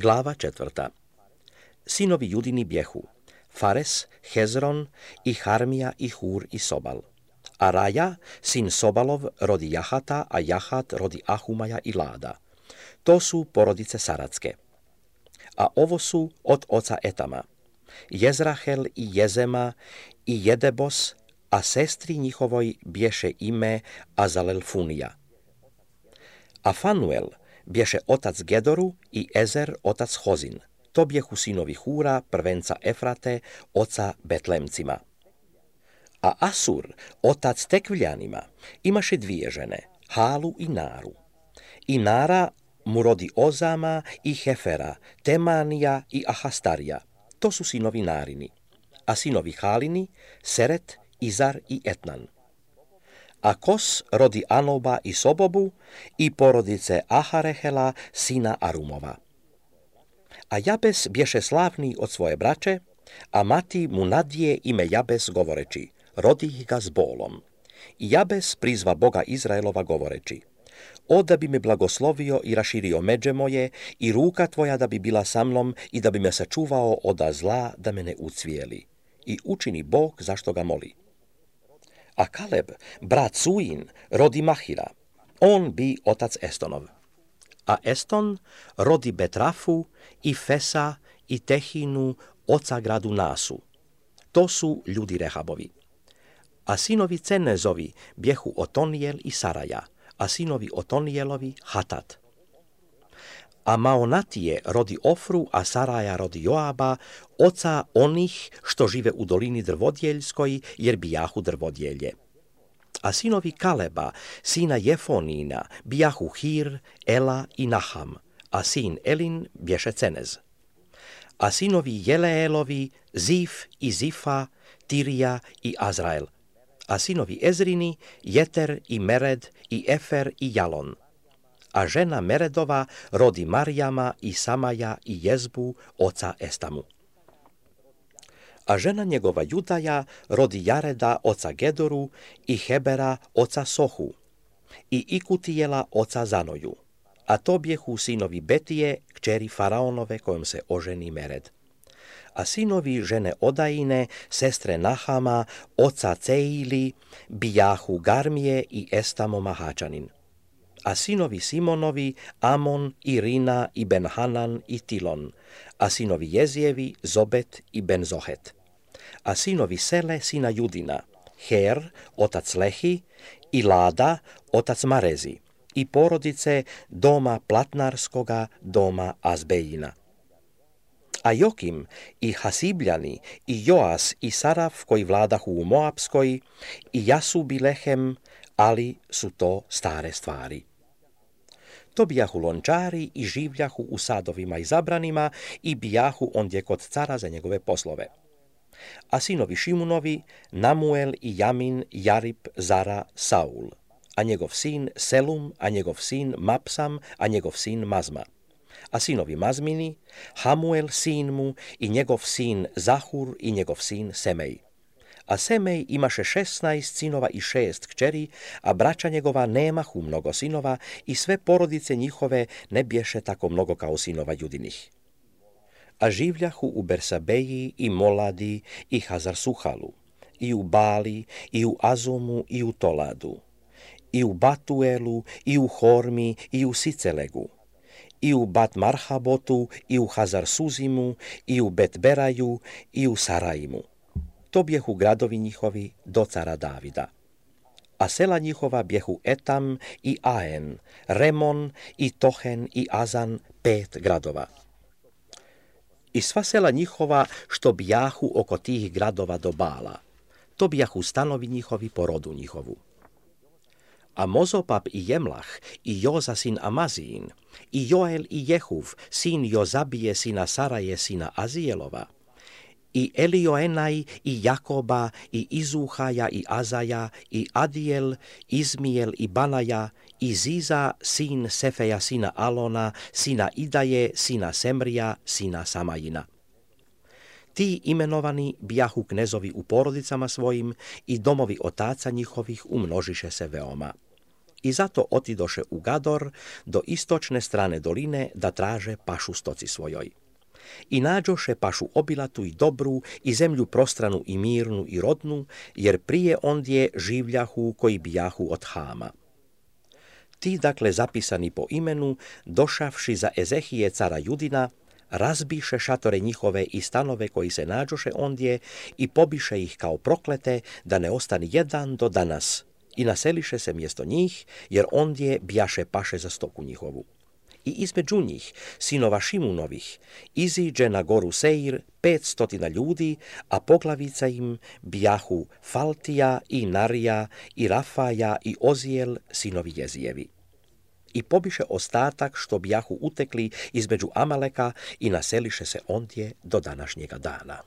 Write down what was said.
Glava 4. Sinovi Judini bjehu Fares, Hezron i Harmija i Hur i Sobal. A Raja, sin Sobalov, rodi Jahata, a Jahat rodi Ahumaja i Lada. To su porodice Saratske. A ovo su od oca Etama, Jezrahel i Jezema i Jedebos, a sestri njihovoj bješe ime Azalelfunija. A Fanuel bješe otac Gedoru i Ezer otac Hozin. To bjehu sinovi Hura, prvenca Efrate, oca Betlemcima. A Asur, otac Tekviljanima, imaše dvije žene, Halu i Naru. I Nara mu rodi Ozama i Hefera, Temanija i Ahastarija. To su sinovi Narini. A sinovi Halini, Seret, Izar i Etnan. A Kos rodi Anoba i Sobobu i porodice Aharehela, sina Arumova. A Jabes bješe slavni od svoje braće, a mati mu nadije ime Jabes govoreći, rodi ga s bolom. I Jabes prizva Boga Izraelova govoreći, o da bi me blagoslovio i raširio međe moje i ruka tvoja da bi bila sa mnom i da bi me sačuvao od zla da me ne ucvijeli. I učini Bog zašto ga moli. A Kaleb, brat Suin, rodi Mahira, on bi otac Estonov. A Eston rodi Betrafu i Fesa i Tehinu, oca gradu Nasu. To su ljudi Rehabovi. A sinovi Cenezovi bjehu Otonijel i Saraja, a sinovi Otonijelovi Hatat. A Maonatije rodi Ofru, a Saraja rodi Joaba, oca onih što žive u dolini drvodjeljskoj, jer bijahu drvodjelje. A sinovi Kaleba, sina Jefonina, bijahu Hir, Ela i Naham, a sin Elin bješe Cenez. A sinovi Jeleelovi, Zif i Zifa, Tirija i Azrael. A sinovi Ezrini, Jeter i Mered i Efer i Jalon. A žena Meredova rodi Marijama i Samaja i Jezbu, oca Estamu. A žena njegova Judaja rodi Jareda, oca Gedoru i Hebera, oca Sohu i Ikutijela, oca Zanoju. A to bjehu sinovi Betije, kćeri Faraonove kojom se oženi Mered. A sinovi žene Odajine, sestre Nahama, oca Ceili, bijahu Garmije i Estamo Mahačanin. A sinovi Simonovi, Amon i Rina i Benhanan i Tilon, a sinovi Jezijevi, Zobet i Benzohet. A sinovi Sele, sina Judina, Her, otac Lehi, i Lada, otac Marezi, i porodice doma Platnarskoga, doma Azbejina. A Jokim i Hasibljani i Joas i Saraf koji vladahu u Moabskoj i Jasub i Lehem, ali su to stare stvari. To bijahu lončari i življahu u sadovima i zabranima i bijahu ondje kod cara za njegove poslove. A sinovi Šimunovi, Namuel i Jamin, Jarib, Zara, Saul, a njegov sin Selum, a njegov sin Mapsam, a njegov sin Mazma. A sinovi Mazmini, Hamuel sin mu i njegov sin Zahur i njegov sin Semej. A Semej imaše 16 sinova i 6 kćeri, a braća njegova nemahu mnogo sinova i sve porodice njihove ne bješe tako mnogo kao sinova Judinih. A življahu u Bersabeji i Moladi i Hazarsuhalu, i u Bali, i u Azumu, i u Toladu, i u Batuelu, i u Hormi, i u Sicelegu, i u Bat Marhabotu, i u Hazarsuzimu, i u Betberaju, i u Saraimu. To bjehu gradovi njihovi do cara Davida. A sela njihova bjehu Etam i Aen, Remon i Tohen i Azan, 5 gradova. I sva sela njihova što bijahu oko tih gradova do Bala, to bijahu stanovi njihovi po rodu njihovu. A Mozopap i Jemlah i Joza sin Amazijin i Joel i Jehuv, sin Jozabije sina Saraje sina Azijelova, i Elioenaj i Jakoba i Izuhaja i Azaja i Adijel, Izmijel i Banaja i Ziza sin Sefeja sina Alona, sina Idaje, sina Semrija, sina Samajina. Ti imenovani bijahu knezovi u porodicama svojim i domovi otaca njihovih umnožiše se veoma. I zato otidoše u Gador do istočne strane doline da traže pašu stoci svojoj. I nađoše pašu obilatu i dobru i zemlju prostranu i mirnu i rodnu, jer prije ondje življahu koji bijahu od Hama. Ti, dakle, zapisani po imenu, došavši za Ezehije cara Judina, razbiše šatore njihove i stanove koji se nađoše ondje i pobiše ih kao proklete, da ne ostani jedan do danas, i naseliše se mjesto njih, jer ondje bijaše paše za stoku njihovu. I između njih, sinova Šimunovih, iziđe na goru Seir 500 ljudi, a poglavica im bijahu Faltija i Narija i Rafaja i Ozijel, sinovi Jezijevi. I pobiše ostatak što bijahu utekli između Amaleka i naseliše se ondje do današnjega dana.